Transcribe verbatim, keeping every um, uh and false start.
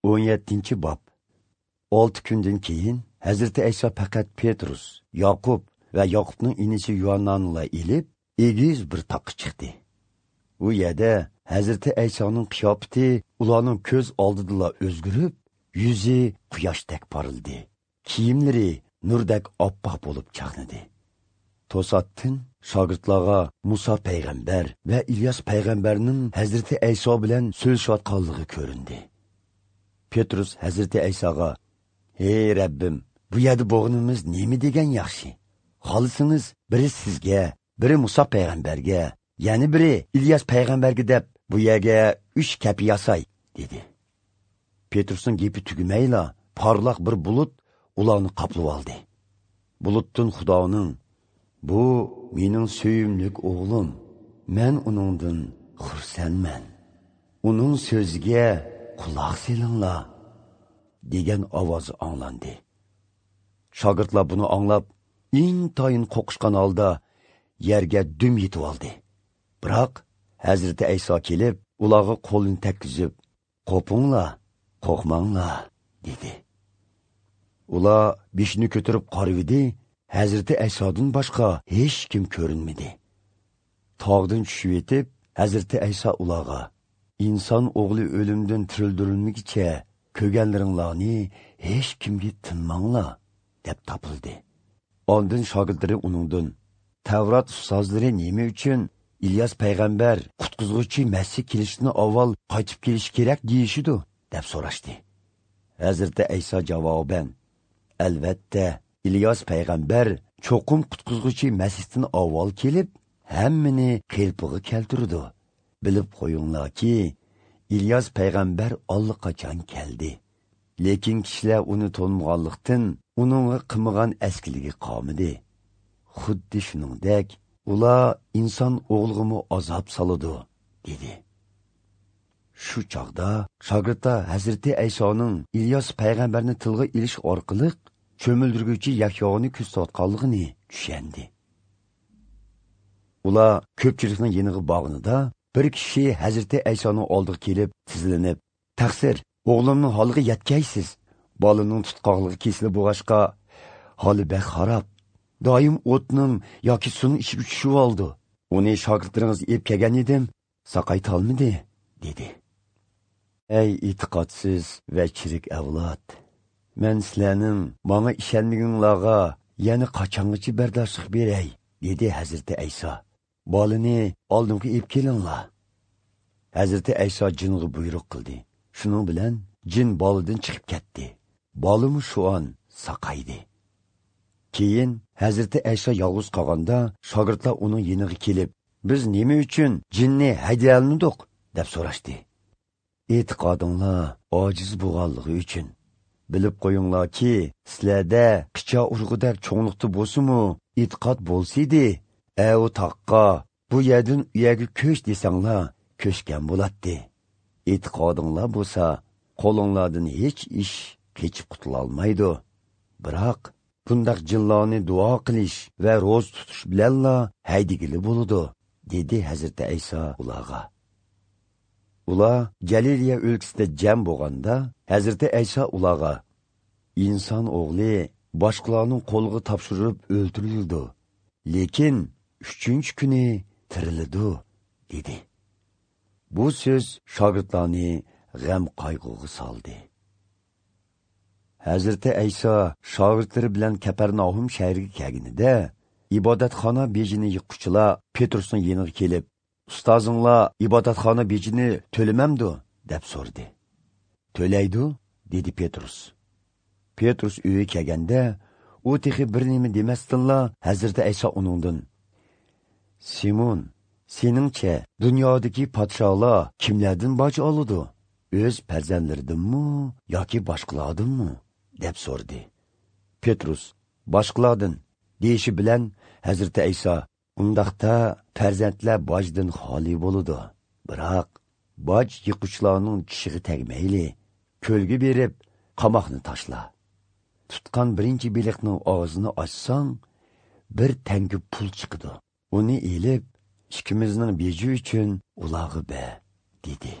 o'n yettinchi bob. Olti kundan keyin Hazrati Ayso faqat Petrus, Yoqub va Yoqubning inisi Yuhannani ilib, egiz bir toqqa chiqdi. U yerda Hazrati Aysoning qiyofati ularning ko'z oldidala o'zgarib, yuzi quyoshdek porildi. Kiyimlari nurdek oppoq bo'lib chaqnadi. To'satdan shogirdlarga Musa payg'ambar va Ilyos payg'ambarning Hazrati Ayso bilan so'zlashayotganligi ko'rindi. Petrus Hazrati Aysoga: "Ey Rabbim, bu yerda bo'g'inimiz nima degan yaxshi? Xohlasangiz biri sizga, biri Musa payg'ambarga, ya'ni biri Ilyos payg'ambarga deb bu yerga uch kapi yasay" dedi. Petrusning gapi tugamayla porloq bir bulut ularni qoplab oldi. Bulutdan Xudoning: "Bu mening sevimli o'g'lim, men uningdan xursandman. Uning so'ziga quloq selinglar" degan ovozi anglandi. Shogirdlar buni anglab, intayin qo'rqishgan holda yerga dum yetib oldi. Biroq Hazrati Ayso kelib, ularga qo'lini tekkizib, "Qo'pinglar, qo'rqmanglar" dedi. Ular beshini ko'tarib qarivdi, Hazrati Aysodan boshqa hech kim ko'rinmadi. Tog'dan tushib yetib, Hazrati Ayso ularga: "Inson o'g'li o'limdan tirildirilmaguncha ko'rganlaringlarni hech kimga tinmanglar" deb topildi. Ondan shogirdlari uningdan: "Tavrat ustozlari nima uchun Ilyos payg'ambar qutqizg'uchi Masih kelishini avval qaytib kelishi kerak deyishidu?" deb so'rashdi. Hazrati Ayso javoban: "Albatta, Ilyos payg'ambar cho'qim qutqizg'uchi Masihdan avval kelib, hammani qelpig'i keltirdi. Bilib qo'yinglarki, Ilyos payg'ambar allaqachon keldi. Lekin kishilar uni tanımaganlıqdan uningga qilmagan askiligi qolmadi. Xuddi shuningdek, ular inson o'g'lig'imi azob soladi" dedi. Shu chog'da shogirdlar Hazrati Aysoning Ilyos payg'ambarni tilga ilish orqali cho'mildirguvchi Yahyoni ko'rsatganligini tushundi. Ular ko'pchilikning yeniga bog'inida bir kishi Hazrati Aysoning oldiga kelib tizlanib: "Taqsir, o'g'limning holiga yetkaysiz. Bolaning tutqoqligi kesilib bo'lg'achqa holi bek xarob. Doim o'tning yoki suvning ichiga tushib oldi. Uni shogirdlaringiz ep kelgan edim, saqaytolmadi" dedi. Ey e'tiqodsiz va chirik avlod, men sizlarning manga ishonmaganlarga yana qachongacha bardoshlik beray?" dedi Hazrati Ayso. "Bolani oldimga ep kelinglar." Hazrati Ayso jinga buyruq qildi. Shuning bilan jin boladan chiqib ketdi. Bolimi shu on saqaydi. Keyin Hazrati Ayso yolg'iz qolganda shogirdlar uning yeniga kelib, "Biz nima uchun jinni haydayolmadik?" deb so'rashdi. "E'tiqodinglar ojiz bo'lganligi uchun. Bilib qo'yinglarki, sizlarda qicha urg'udek cho'nglikda bo'lsa-mu, e'tiqod bo'lsa edi, u toqqa bu yerdan u yerga ko'ch desanglar, ko'chgan bo'latdi. E'tiqodinglar bo'lsa, qo'linglardan hech ish kechib qutula olmaydi. Biroq bundaq jinlarni duo qilish va ro'z tutish bilanla haydigili bo'ladi" dedi Hazrati Ayso ularga. Ular Galiliya o'lkasida jam bo'lganda Hazrati Ayso ularga: "Inson o'g'li boshqalarning qo'liga topshirib o'ldirildi, lekin uchinchi kuni tiriladi" dedi. Bu so'z shogirdlarni g'am qayg'uga soldi. Hazrati Ayso shogirdlari bilan Kaparnahum shahriga kelganida ibodatxona bejini yiqquchilar Petrusning yeniga kelib, "Ustozinglar ibodatxona bejini to'lamamdi?" deb so'radi. "To'laydi" dedi Petrus. Petrus uyiga kelganda, u texi bir nima demasdinla Hazrati Ayso uningdan: "Simon, seningcha dunyodagi podsholar kimlardan boj oladi? O'z farzandlaridanmi yoki boshqalardanmi?" deb so'radi. Petrus: "Boshqalardan" deyishi bilan Hazrati Ayso: "Undaqda farzandlar bojdan xoli bo'ladi. Biroq boj yiquchilarning tishiga tegmayli, ko'lga berib qamoqni tashla. Tutgan birinchi beliqning og'zini ochsang, bir tanga pul chiqadi. Uni elib, ikkimizning beji uchun ularga ber" dedi.